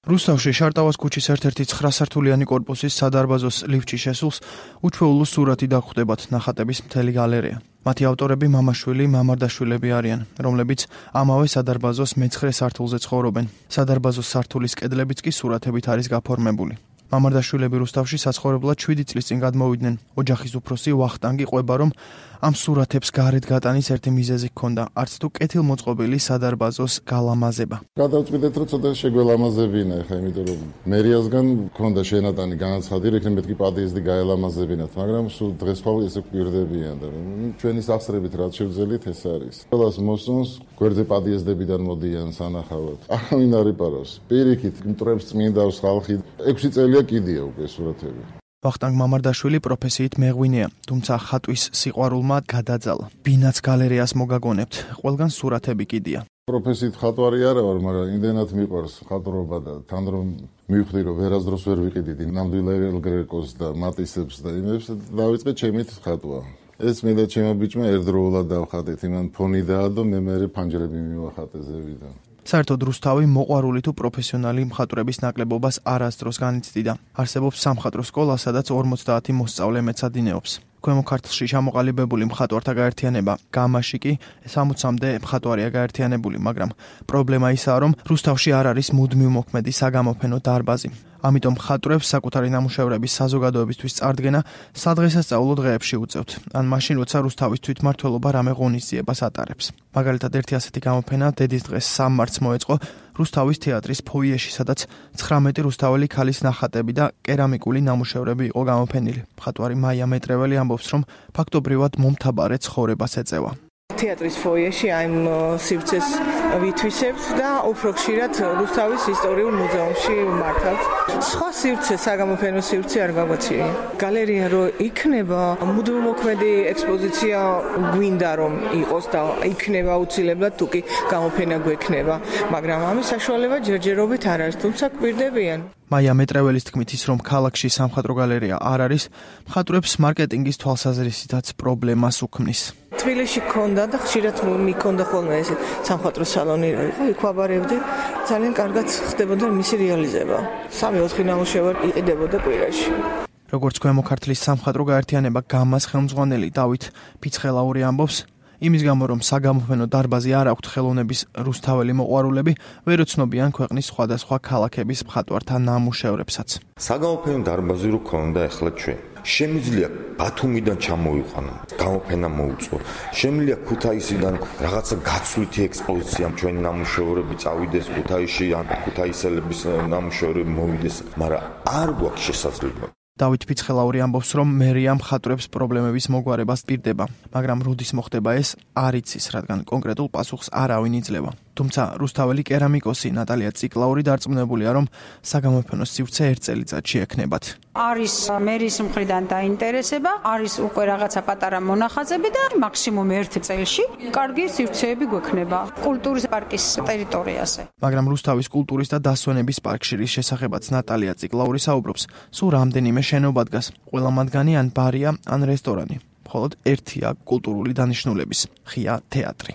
რუსთავში შარტავას ქუჩის ერთ-ერთი 9-სართულიანი კორპუსის სადარბაზოს ლიფტში შესულს უჩვეულო სურათი დაგვხვდებათ ნახატების მთელი გალერეა. მათი ავტორები მამაშვილი, მამარდაშვილები არიან, რომლებიც ამავე სადარბაზოს მე-9 სართულზე ცხოვრობენ. სადარბაზოს სართულის კედლებიც კი სურათებით არის გაფორმებული. მამარდაშვილები რუსთავში საცხოვრებლად 7 წლის წინ გადმოვიდნენ. ოჯახის უფროსი ვახტანგი ყვება, რომ ამ სურათებს გარეთ გატანის ერთი მიზეზი ჰქონდა, არც თუ კეთილმოწყობილი სადარბაზოს გალამაზება. გადავწყვიტეთ, რომ ცოტა შეგველამაზებინა ხა, იმიტომ რომ მერიასგან ჰქონდა შენატანი განაცხადი, რომ იქნებ მეთქი პადიეზდი გაელამაზებინათ, მაგრამ სულ დღესდღეობით ესე გვირდებიან და ჩვენი სახსრებით რაც შევძელით ეს არის. ყველას მოსწონს გვერდზე პადიეზდებიდან მოდიან სანახავად. არავინ არ იპარავს. პირიქით მტრებს წმინდავს ხალხი 6 წელია კიდია უკვე სურათები. ვახტანგ მამარდაშვილი პროფესიით მეღვინეა, თუმცა ხატვის სიყვარულმა გადაძალა. ბინაც გალერეას მოგაგონებთ, ყველგან სურათები კიდია. პროფესიით ხატვარი არა ვარ, მაგრამ იმდენად მიყვარს ხატრობა და თან რომ მივხვდი, რომ ვერასდროს ვერ ვიყიდი ნამდვილ გრეკოს და მატისებს და იმებს, დავიწყე ჩემით ხატვა. ეს მე და ჩემო ბიჭმა ერთდროულად დავხატეთ, იმან ფონი დაადო, მე ფანჯრები მივახატე ზევიდან. საერთოდ რუსთავი მოყვარული თუ პროფესიონალი მხატვრების ნაკლებობას არასდროს განიცდიდა. არსებობს სამხატვრო სკოლა, სადაც 50 მოსწავლე მეცადინეობს. ქვემო ქართლში ჩამოყალიბებული მხატვართა გაერთიანება გამაში კი 60-მდე მხატვარია გაერთიანებული, მაგრამ პრობლემა ისაა, რომ რუსთავში არ არის მუდმივ მოქმედი საგამოფენო დარბაზი. ამიტომ მხატვრებს საკუთარი ნამუშევრების საზოგადოებისთვის წარდგენა სადღესასწაულო დღეებში უწევთ, ან მაშინ, როცა რუსთავის თვითმმართველობა რამე ღონისძიებას ატარებს. მაგალითად, ერთი ასეთი გამოფენა დედის დღეს 3 მარტს მოეწყო რუსთავის თეატრის ფოიეში, სადაც 19 რუსთაველი ქალის ნახატები და კერამიკული ნამუშევრები იყო გამოფენილი. მხატვარი მაია მეტრეველი ამბობს, რომ ფაქტობრივად მომთაბარე ცხოვრებას ეწევა. თეატრის ფოიეში აიმ სივრცეს ვითვისებთ და უფრო ხშირად რუსთავის ისტორიულ მუზეუმში მართავთ. სხვა სივრცე, საგამოფენო სივრცე არ გაგვაცია. გალერეა რო იქნება, მუდმივმოქმედი ექსპოზიცია გვინდა რომ იყოს და იქნება აუცილებლად თუ კი გამოფენა გვექნება, მაგრამ ამის საშუალება ჯერჯერობით არ არის, თუმცა გვირდებიან. მაია მეტრეველის თქმით, ის რომ ქალაქში სამხატვრო გალერეა არ არის, მხატვრებს მარკეტინგის თვალსაზრისითაც პრობლემას უქმნის. თბილისში ქონდა და ხშირად მიქონდა ხოლმე ეს სამხატვრო სალონი, იქ ვაბარებდი, ძალიან კარგად ხდებოდა მისი რეალიზება. 3-4 ნამუშევარი იყიდებოდა კვირაში. როგორც ქვემო ქართლის სამხატვრო გაერთიანება გამას ხელმძღვანელი დავით ფიცხელაური ამბობს, იმის გამო, რომ საგამოფენო დარბაზი არ აქვთ ხელოვნების რუსთაველი მოყვარულები, ვერ ოცნობიან ქვეყნის სხვადასხვა ქალაქების მხატვართა ნამუშევრებსაც. საგამოფენო დარბაზი რო ქონდა ახლა ჩვენ. შემიძლია ბათუმიდან ჩამოვიყვანო, გამოფენა მოუწყო. შემიძლია ქუთაისიდან რაღაცა გაცვლითი ექსპოზიცია ჩვენი ნამუშევრები წავიდეს ქუთაისში, ან ქუთაისელების ნამუშევრები მოვიდეს, მაგრამ არ გვაქვს შესაძლებლობა. დავით ფიცხელაური ამბობს, რომ მერია მხატვრებს პრობლემების მოგვარებას პირდება, მაგრამ როდის მოხდება ეს არ იცის, რადგან კონკრეტულ პასუხს არავინ იძლევა. თუმცა რუსთაველი კერამიკოსი ნატალია ციკლაური დარწმუნებულია, რომ საგამოფენო სივრცე 1 წელიწადში ექნებათ. არის მერის მხრიდან დაინტერესება, არის უკვე რაღაცა პატარა მონახაზები და მაქსიმუმ 1 წელში კარგი სივრცეები გვექნება კულტურის პარკის ტერიტორიაზე. მაგრამ რუსთავის კულტურის და დასვენების პარკში შესახებაც ნატალია ციკლაური საუბრობს, სულ რამდენიმე შენობა დგას, ყველა მათგანი ან ბარია, ან რესტორანი. მხოლოდ ერთია კულტურული დანიშნულების, ღია თეატრი.